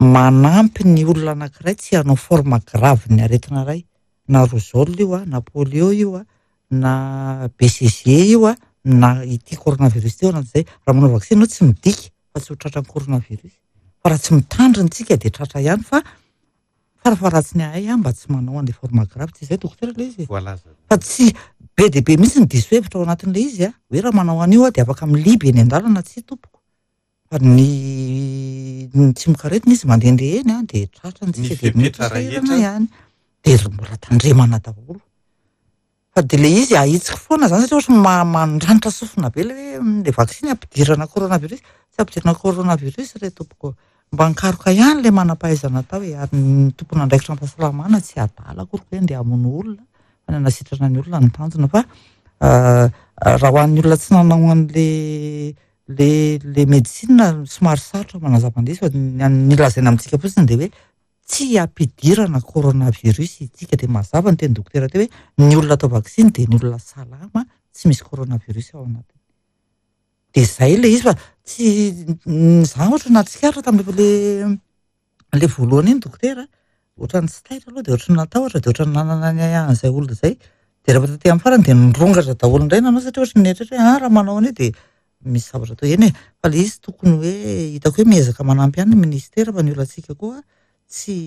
Manampy ny olona anankiray tsy hanao forme grave ny aretina iray, na rougeole io a, na polio io a, na B C G io a, na ity coronavirus ity ao anatin'izay. Raha manao vaksiny ianao tsy midika fa tsy ho tratran'ny coronavirus. Fa raha tsy mitandrina isika dia tratra ihany, fa farafaharatsiny ahay a mba tsy manao an'ilay forme grave. Tsy izay dokotera ilay izy e. Voalaza. Fa tsy be dia be mihitsy ny diso hevitra ao anatin'ilay izy a, hoe raha manao an'io a dia afaka miliby eny an-dalana, tsy tompoko. Fa ny ny tsimokaretina izy mandehandeha eny a dia tratra ny Ny tsika dia mety fepetra sahirana rehetra. ihany. Dia mbola tandremana daholo. Fa dia ilay izy ahitsiko foana zany satria ohatry ny ma-, mandranitra sofina be ilay hoe ilay vaksiny ampidirana coronavirus. Tsy ampidirana coronavirus re tompoko. Mba nikaroka ihany ilay manam-pahaizana atao hoe, ary ny tompon'andraikitra amin'ny fahasalamana tsy adala akory hoe andeha hamono olona, fa ny hanasitrana ny olona ny tanjona. Fa, euh, raha ho an'ny olona tsy nanao an'le, le, le médecine somary sarotra manazava an'ilay izy, fa ny, ny lazaina amintsika fotsiny dia hoe tsy ampidirana coronavirus isika. Dia mazava ny teny dokotera teo hoe ny olona atao vaksiny dia ny olona salama, tsy misy coronavirus ao anatiny. Dia izay ilay izy, fa tsy, n-, za ohatra nahatsikaritra tamin'ilay le, le voalohany iny dokotera, ohatran'ny tsy taitra aloha dia ohatran'ny natahotra dia ohatran'ny nanana ny ahiahin'izay olona izay. Dia rehefa taty amin'ny farany dia nirongatra daholo indray nanao, satria ohatran'ny nieritreritra hoe, ah, raha manao an'io dia misy zavatra atao eny e. Fa ilay izy tokony hoe hitako hoe miezaka manampy ihany ny ministera, fa ny olantsika koa tsy,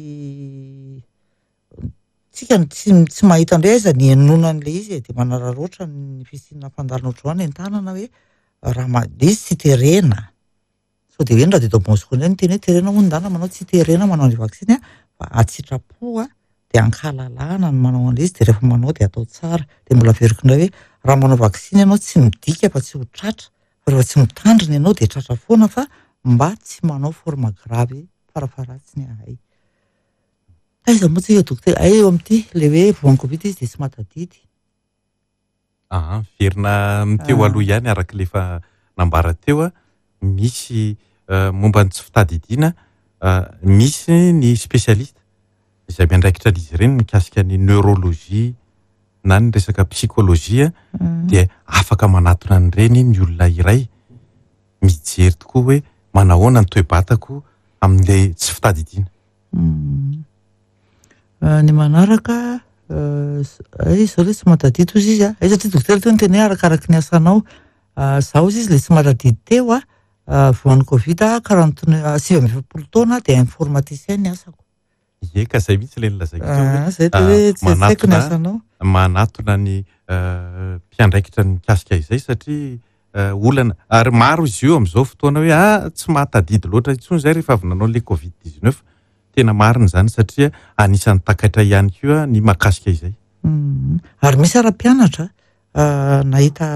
tsika tsy, tsy mahita indray aiza ny henoana an'ilay izy e. Dia manararaotra ny fisiana fandalana ohatr'izao any an-tanana hoe raha ma-, ilay izy tsy terena. Sao dia hoe ny radio Don Bosco indray no teny hoe terena hono ndana manao, tsy terena manao an'ilay vaksiny a, fa atsitrapo a, dia ankahalalahana ny manao an'ilay izy, dia rehefa manao dia atao tsara. Dia mbola averiko indray hoe raha manao vaksiny ianao tsy midika fa tsy ho tratra, fa rehefa tsy mitandrina ianao dia tratra foana, fa mba tsy manao forme grave farafaharatsiny ahay. Aiza moa tsika dokotera? Ay, eo amin'ity ilay hoe voan'ny Covid izy dia tsy mahatadidy. Aha, miverina amin'ny teo Ah. aloha ihany araka ilay efa nambara teo a, misy, euh, momba ny tsy fitadidiana, euh, misy ny spécialiste izay miandraikitra an'izy ireny mikasika ny neurologie na ny resaka psychologie, Mm. dia afaka manatona an'ireny ny olona iray mijery tokoa hoe manahoana ny toe-batako amin'ilay tsy fitadidiana. Mm. Euh, ny manaraka, euh, ay, izao ilay tsy mahatadidy hozy izy a. Ay, satria dokotera teo niteny hoe arakaraky ny asanao. Euh, zaho hozy izy ilay tsy mahatadidy teo a, euh, voan'ny Covid a, quarante-, sivy amby efapolo taona dia informaticien ny asako. Ie, ka izay mihitsy ilay nolazaiko teo hoe, Ah, zay teo hoe tsy ah, haiko ny manatona asanao. manatona ny, euh, mpiandraikitra ny mikasika izay, satria, euh, olana ary maro izy io amin'izao fotoana hoe, ah, tsy mahatadidy loatra intsony izay rehefa avy nanao ilay Covid dix-neuf. Tena marina izany satria anisan'ny takaitra ihany koa ny mahakasika izay. Mm. Ary misy ara-mpianatra, ah, nahita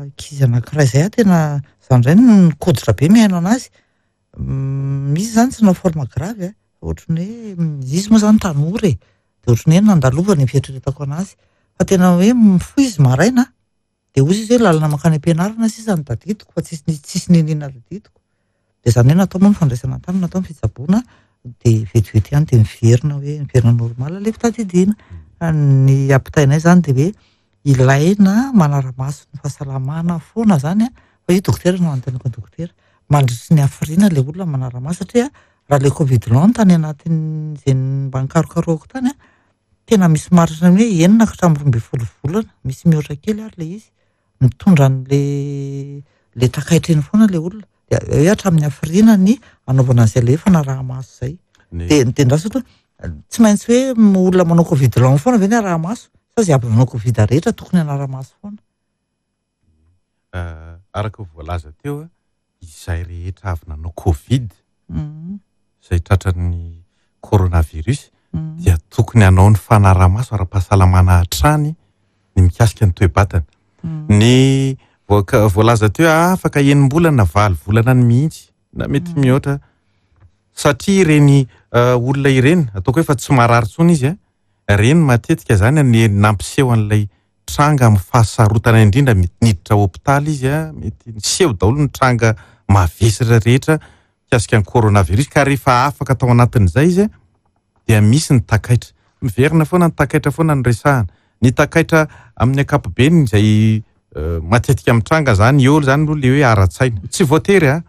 ankizy anankiray izay aho tena izany indray no nikoditra be mihaino anazy. Mm, misy izany tsy nanao forme grave, eh. Ohatran'ny hoe, izy moa izany tanora e. Dia ohatran'ny hoe nandalovana ny fieritreretako anazy. Fa tena hoe mifoha izy maraina, dia hozy izy hoe lalana mankany am-pianarana sisa no tadidiko, fa tsisy, tsisy niniana tadidiko. Dia izany hoe natao moa ny fandraisana an-tanana, natao ny fitsaboana, dia vetivety ihany dia miverina hoe miverina normal ilay fitadidiana. Fa ny ampitainay izany dia hoe ilaina manara-maso ny fahasalamana foana izany a, fa io dokotera no anontaniako ny dokotera. Mandritry ny hafiriana ilay olona manara-maso, satria raha ilay Covid long tany anatin'izay mba nikarokarohako tany a, tena misy marina ny hoe enina ka hatramin'ny roa ambin'ny folo volana, misy mihoatra kely ary ilay izy, mitondra an'ilay, ilay takaitra iny foana ilay olona. Dia hoe hatramin'ny hafiriana ny anaovana an'izay ilay fanaraha-maso izay. Ny Dia, dia ndraso aloha, tsy maintsy hoe olona manao Covid long foana ve ny araha-maso? Sa izay avy nanao Covid rehetra tokony hanara-maso foana? Euh, araka ny voalaza teo, izay rehetra avy nanao Covid, Mm. izay tratran'ny coronavirus, Mm. dia tokony hanao ny fanaraha-maso ara-pahasalamana hatrany ny mikasika ny toe-batana. Mm. Ny voaka-, voalaza teo, afaka enim-bolana na valo volana ny mihitsy, na mety Mm. mihoatra, satria ireny, euh, olona ireny, ataoko hoe fa tsy marary intsony izy, a, ireny matetika zany ny nampiseho an'ilay tranga amin'ny fahasarotana indrindra, mety niditra hôpitaly izy, a, mety niseho daholo ny tranga mavesatra rehetra mikasika ny coronavirus, ka rehefa afaka tao anatin'izay izy, a, dia misy ny takaitra. Miverina foana ny takaitra foana ny resahana. Ny takaitra amin'ny ankapobeny izay, euh, matetika mitranga zany, eo zany aloha le hoe ara-tsaina. Tsy voatery, a,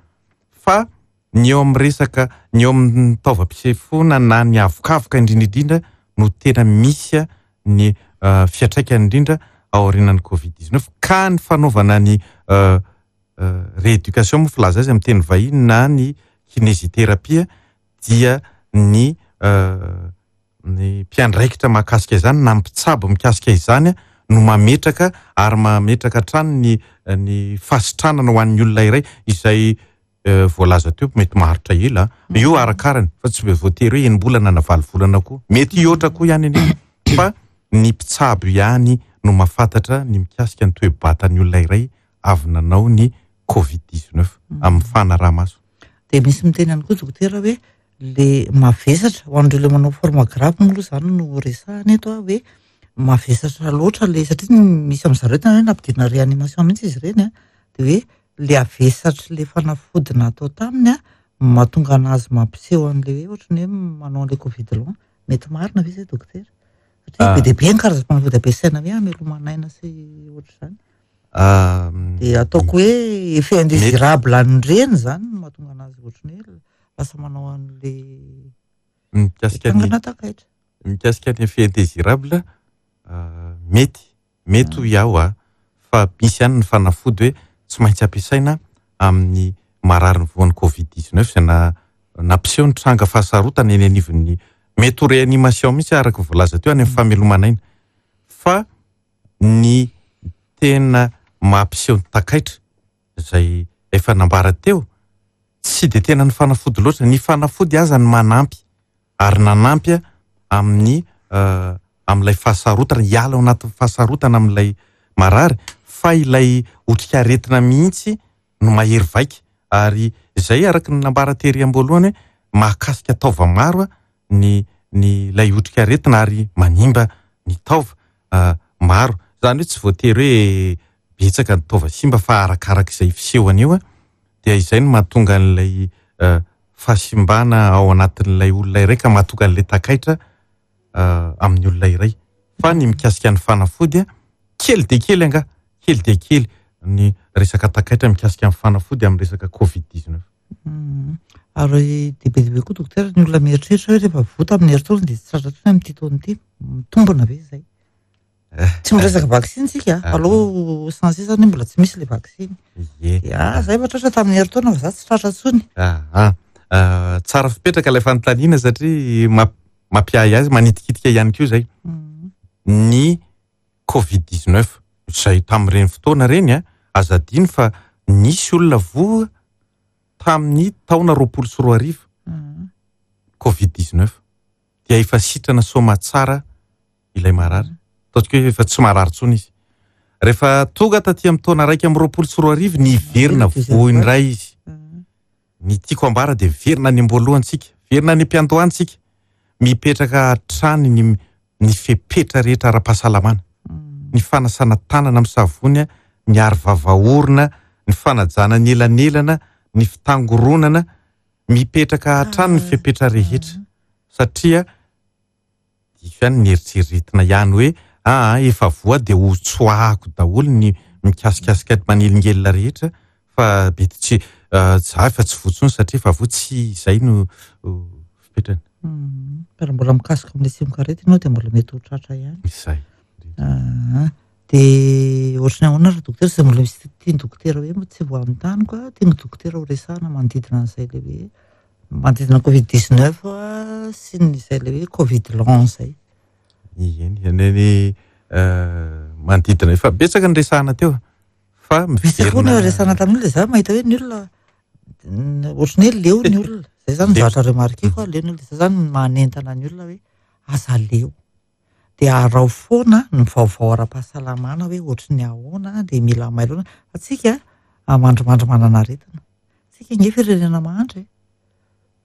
fa Ny eo amin'ny resaka, ny eo amin'ny taovam-pisefoana na ny avokavoka indrindra indrindra no tena misy ny fiantraikany indrindra aorianan'ny covid dix-neuf, ka ny fanaovana ny rééducation moa filaza azy amin'ny teny vahiny na ny kinésithérapie dia ny ny mpiandraikitra mahakasika izany na mpitsabo mikasika izany no mametraka ary mametraka hatrany ny ny fahasitranana ho an'ny olona iray izay voalaza teo mety maharitra ela io arakarany fa tsy voatery hoe enim-bolana na valo volana koa, mety hihoatra koa ihany anefa, fa ny mpitsabo ihany no mahafantatra ny mikasika ny toe-batan'ny olona iray avy nanao ny covid dix-neuf amin'ny fanaraha-maso. Dia misy miteny ihany koa dokotera hoe le mavesatra ho an'ireo le manao forme grave moa aloha izany no resahana eto hoe mavesatra loatra le, satria misy amin'ny zareo tena hoe nampidina réanimation mihitsy izy ireny a, dia hoe le avesatra le fanafody natao taminy a mahatonga anazy mampiseho an'le hoe ohatran'ny hoe manao an'le covid long. Mety marina ve izay dokotera? Satria be dia be ny karazam-panafody ampiasaina hoe hamelomana aina sy ohatr'izany. Dia ataoko hoe effet indésirable an'ireny izany no mahatonga anazy ohatran'ny hoe lasa manao an'le mikasika ny takaitra. Mikasika ny effet indésirable mety mety ho iaho a, fa misy ihany ny fanafody hoe tsy maintsy ampiasaina amin'ny marary ny voan'ny covid dix-neuf izay na nampiseho ny tranga fahasarotana eny anivon'ny mety ho réanimation mihitsy araka ny voalaza teo any amin'ny famelomana aina, fa ny tena mampiseho ny takaitra izay efa nambara teo tsy de tena ny fanafody loatra, ny fanafody aza ny manampy ary nanampy amin'ny amin'ilay fahasarotana, hiala ao anatin'ny fahasarotana amin'ilay marary, fa ilay otrikaretina mihitsy no mahery vaika. Ary izay araka ny nambara tery am-boalohany hoe mahakasika taova maro ny ny ilay otrikaretina ary manimba ny taova maro. Izany hoe tsy voatery hoe betsaka ny taova simba fa arakaraka izay fisehony eo dia izay no mahatonga an'ilay fahasimbana ao anatin'ilay olona iray ka mahatonga an'ilay takaitra amin'ny olona iray. Fa ny mikasika ny fanafody kely dia kely angaha, kely dia kely ny resaka takaitra mikasika ny fanafody amin'ny resaka covid dix-neuf. Ary dia be dia be koa dokotera ny olona mieritreritra hoe rehefa voa tamin'ny herintaona dia tsy tratra intsony amin'ity taona ity, mitombina ve izay? Tsy miresaka vaksiny tsika, aloha censé zany mbola tsy misy le vaksiny. Dia zay efa tratra tamin'ny herintaona fa za tsy tratra intsony. Ah, tsara fipetraka ilay fanontaniana satria mampiahy azy, manitikitika ihany koa izay. Ny covid dix-neuf izay tamin'ireny fotoana ireny a, aza adino fa nisy olona voa tamin'ny taona roapolo sy roa arivo covid dix-neuf dia efa sitrana soma tsara ilay marary. Ataontsika hoe efa tsy marary intsony izy. Rehefa tonga taty amin'ny taona raika amby roapolo sy roa arivo niverina voa indray izy. Ny tiako ambara dia verina any am-boalohantsika, verina any am-piandohantsika, mipetraka hatrany ny ny fepetra rehetra ara-pahasalamana. Ny fanasana tanana amin'ny savony, ny aro vava-orona, ny fanajana ny elanelana, ny fitangoronana, mipetraka hatrany ny fepetra rehetra. Satria diso ihany ny eritreretina ihany hoe ah efa voa dia ho tsoahako daholo ny mikasikasika manelingelina rehetra fa mety tsy za efa tsy voa intsony satria efa voa, tsy izay no fipetrany. Fa raha mbola mikasika amin'ilay tsimokaretina ianao dia mbola mety ho tratra ihany. Izay. Dia ohatran'ny ahoana raha dokotera, izay mbola misy tian'ny dokotera hoe tsy voanontany koa, tian'ny dokotera ho resahana manodidina an'izay ilay hoe manodidina covid dix-neuf sy ny izay ilay hoe covid long izay. Eny, ny manodidina efa betsaka ny resahana teo fa miverina. Betsaka ny resahana tamin'olona, izaho mahita hoe ny olona ohatran'ny hoe leo ny olona. Izay izany ny zavatra remarqueko, leo ny olona. Izay izany manentana ny olona hoe aza leo. Dia arao foana ny vaovao ara-pahasalamana hoe ohatran'ny ahoana, dia mila mailo. Fa tsika mandrimandry manana aretina. Tsika nge firenena mahantra e.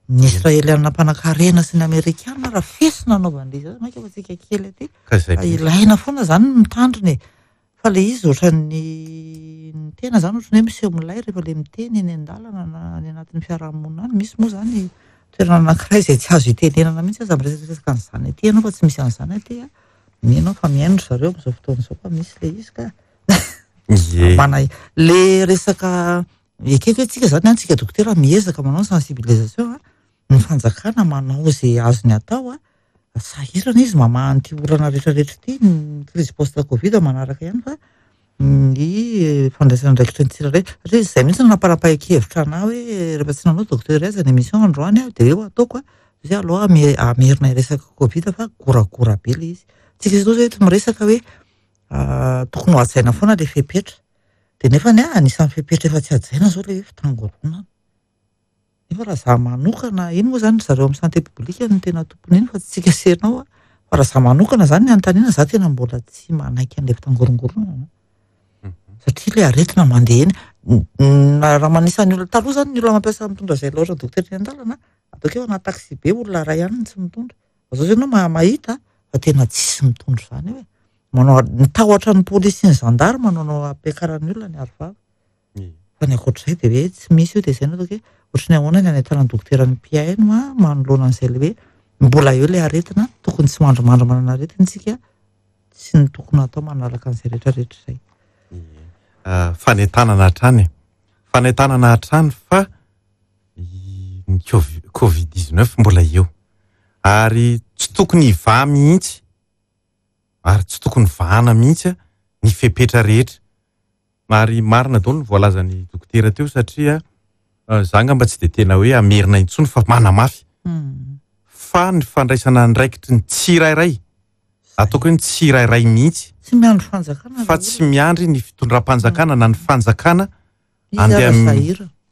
Ny Israeliana mpanankarena sy ny Amerikana raha fesina anaovan'ilay izy, mainka fa tsika kely aty. Fa ilaina foana izany ny mitandrina e. Fa ilay izy ohatran'ny ny tena izany ohatran'ny hoe miseho milay rehefa ilay miteny eny an-dalana na any anatin'ny fiarahamonina any. Misy moa izany toerana anankiray izay tsy azo itenenana mihitsy aza miresadresaka an'izany aty ianao fa tsy misy an'izany aty a. Mino aho fa mihaino ry zareo amin'izao fotoana izao fa misy ilay izy ka. Ie. Mana le resaka Ekeko hoe tsika zany antsika dokotera miezaka manao sensibilisation a, ny fanjakana manao izay azony atao a, sahirana izy mamaha an'ity olana rehetrarehetra ity, ny crise post covid manaraka ihany fa ny fandraisana andraikitra ny tsirairay, satria izay mihitsy no nampanapahan-kevitra anahy hoe rehefa tsy nanao docteur aza ny émission androany aho dia eo ataoko a, zay aloha amerina resaka covid fa goragora be le izy. Tsika zao eto miresaka hoe tokony ho hajaina foana le fepetra, dia nefa ny anisan'ny fepetra efa tsy hajaina zao le hoe fitangoronana. Nefa raha za manokana, iny moa zany zareo amin'ny santé publique no tena tompony iny fa tsy tsika sy ianao a, fa raha za manokana zany ny anontaniana, za tena mbola tsy manaiky an'le fitangorongoronana. Satria le aretina mandeha eny, raha manisan'ny olona taloha zany ny olona mampiasa mitondra izay loatra dokotera eny an-dalana, ataoko hoe anaty taxi be olona iray ihany no tsy mitondra. Fa zao zao ianao mahita fa tena tsisy mitondra izany eo e. Manao ny tahotra ny polisy sy ny gendarme no no ampiakaran'ny olona ny arovava. Fa ny ankoatr'izay dia hoe tsy misy io, dia izay no ataoko hoe ohatry ny ahoana ny anentanan'ny dokotera ny mpihaino a manoloana an'izay le hoe mbola eo le aretina, tokony tsy mandrimandry manana aretina isika, tsy ny tokony atao manaraka an'izay rehetrarehetra izay. Fanentanana hatrany, fanentanana hatrany fa ny covid dix-neuf mbola eo ary tsy tokony hivaha mihitsy, ary tsy tokony vahana mihitsy ny fepetra rehetra. Ary marina daholo ny voalazan'ny dokotera teo satria za angamba tsy dia tena hoe amerina intsony fa manamafy. Fa ny fandraisana andraikitry ny tsirairay, ataoko hoe ny tsirairay mihitsy, tsy miandry fanjakana fa tsy miandry ny fitondram-panjakana na ny fanjakana andeha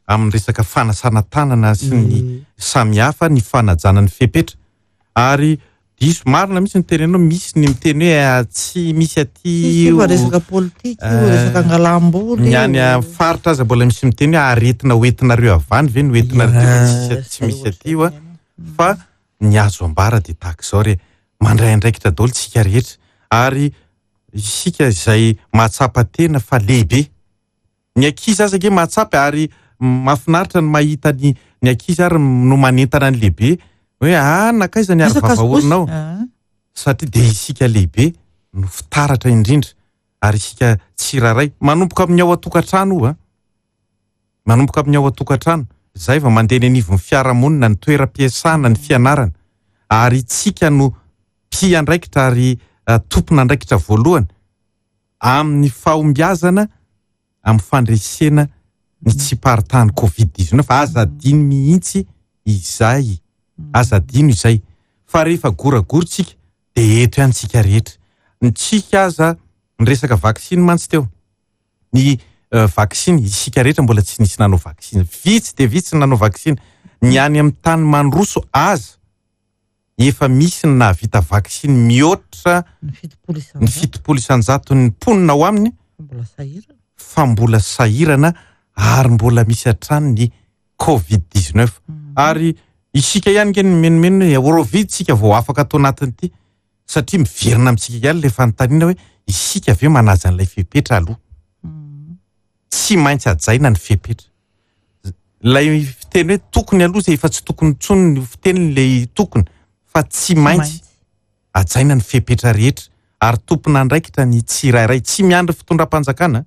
amin'ny resaka fanasana tanana sy ny samihafa, ny fanajana ny fepetra. Ary diso marina mihitsy ny tenenao, misy ny miteny hoe tsy misy aty io resaka politika io, resaka angalam-bola io. Ny any amin'ny faritra aza mbola misy miteny hoe aretina hoentinareo avy any ve no hoentinareo tsy misy aty io a. Fa ny azo ambara dia tahaka izao re, mandray andraikitra daholo tsika rehetra, ary isika izay mahatsapa tena fa lehibe. Ny ankizy aza ange mahatsapa, ary mahafinaritra ny mahita ny ny ankizy ary no manentana ny lehibe hoe ah nakaiza ny arovava-orinao, satria dia isika lehibe no fitaratra indrindra, ary isika tsirairay manomboka amin'ny ao an-tokantrano io a, manomboka amin'ny ao an-tokantrano, izay vao mandeha ny anivon'ny fiarahamonina, ny toeram-piasana, ny fianarana, ary isika no mpiandraikitra ary tompon'andraikitra voalohany amin'ny fahombiazana amin'ny fandresena ny tsiparitahan'ny covid dix-neuf. Aza adino mihitsy izay, aza adino izay, fa rehefa goragora tsika dia eto ihany tsika rehetra. Ny tsika aza ny resaka vaksiny mantsy teo, ny vaksiny isika rehetra mbola tsy nisy nanao vaksiny, vitsy dia vitsy ny nanao vaksiny. Ny any amin'ny tany mandroso aza efa misy ny nahavita vaksiny mihoatra ny fitopolo isan-jaton'ny mponina ao aminy, fa mbola sahirana ary mbola misy hatrany ny covid dix-neuf. Ary isika ihany nge ny menomenona hoe Eurovid tsika vao afaka atao anatin'ity, satria miverina amintsika ihany ilay fanontaniana hoe isika ve manaja an'ilay fepetra aloha? Tsy maintsy hajaina ny fepetra. Ilay fiteny hoe tokony aloha izay efa tsy tokony intsony ny fiteny ilay tokony, fa tsy maintsy hajaina ny fepetra rehetra, ary tompon'andraikitra ny tsirairay, tsy miandry fitondram-panjakana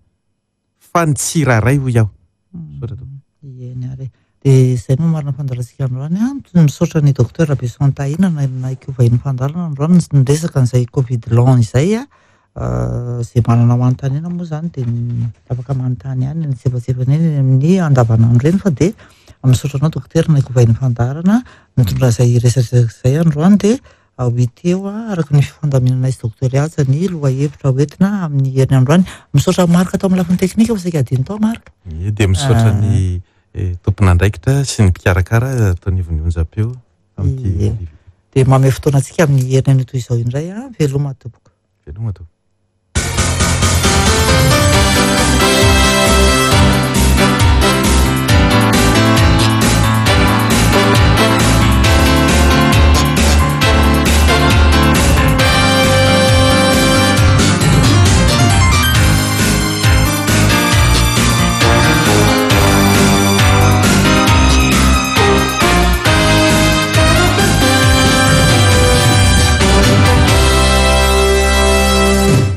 fa ny tsirairay hoy aho. Eny ary. Dia izay no marina fandalantsika androany a. Misaotra ny docteur Rabeson Tahina naiko vahiny fandalana androany niresaka an'izay covid long izay a. Izay manana manontaniana moa zany dia afaka manontany ihany ny tsefatsefany eny amin'ny andavanandro eny, fa dia misaotra anao docteur naiko vahiny fandaharana nitondra izay resaka izay androany. Dia ho hita eo araka ny fifandaminana izy docteur Haja ny lohahevitra hoentina amin'ny herin'ny androany. Misaotra Marc tao amin'ny lafiny teknika fa saika adino tao Marc. Ie, dia misaotra ny tompon'andraikitra sy ny mpikarakara tao anivon'ny onjam-peo amin'ity. Dia mamehy fotoana antsika amin'ny herin'ny toy izao indray a. Veloma tompoko. Veloma tompoko.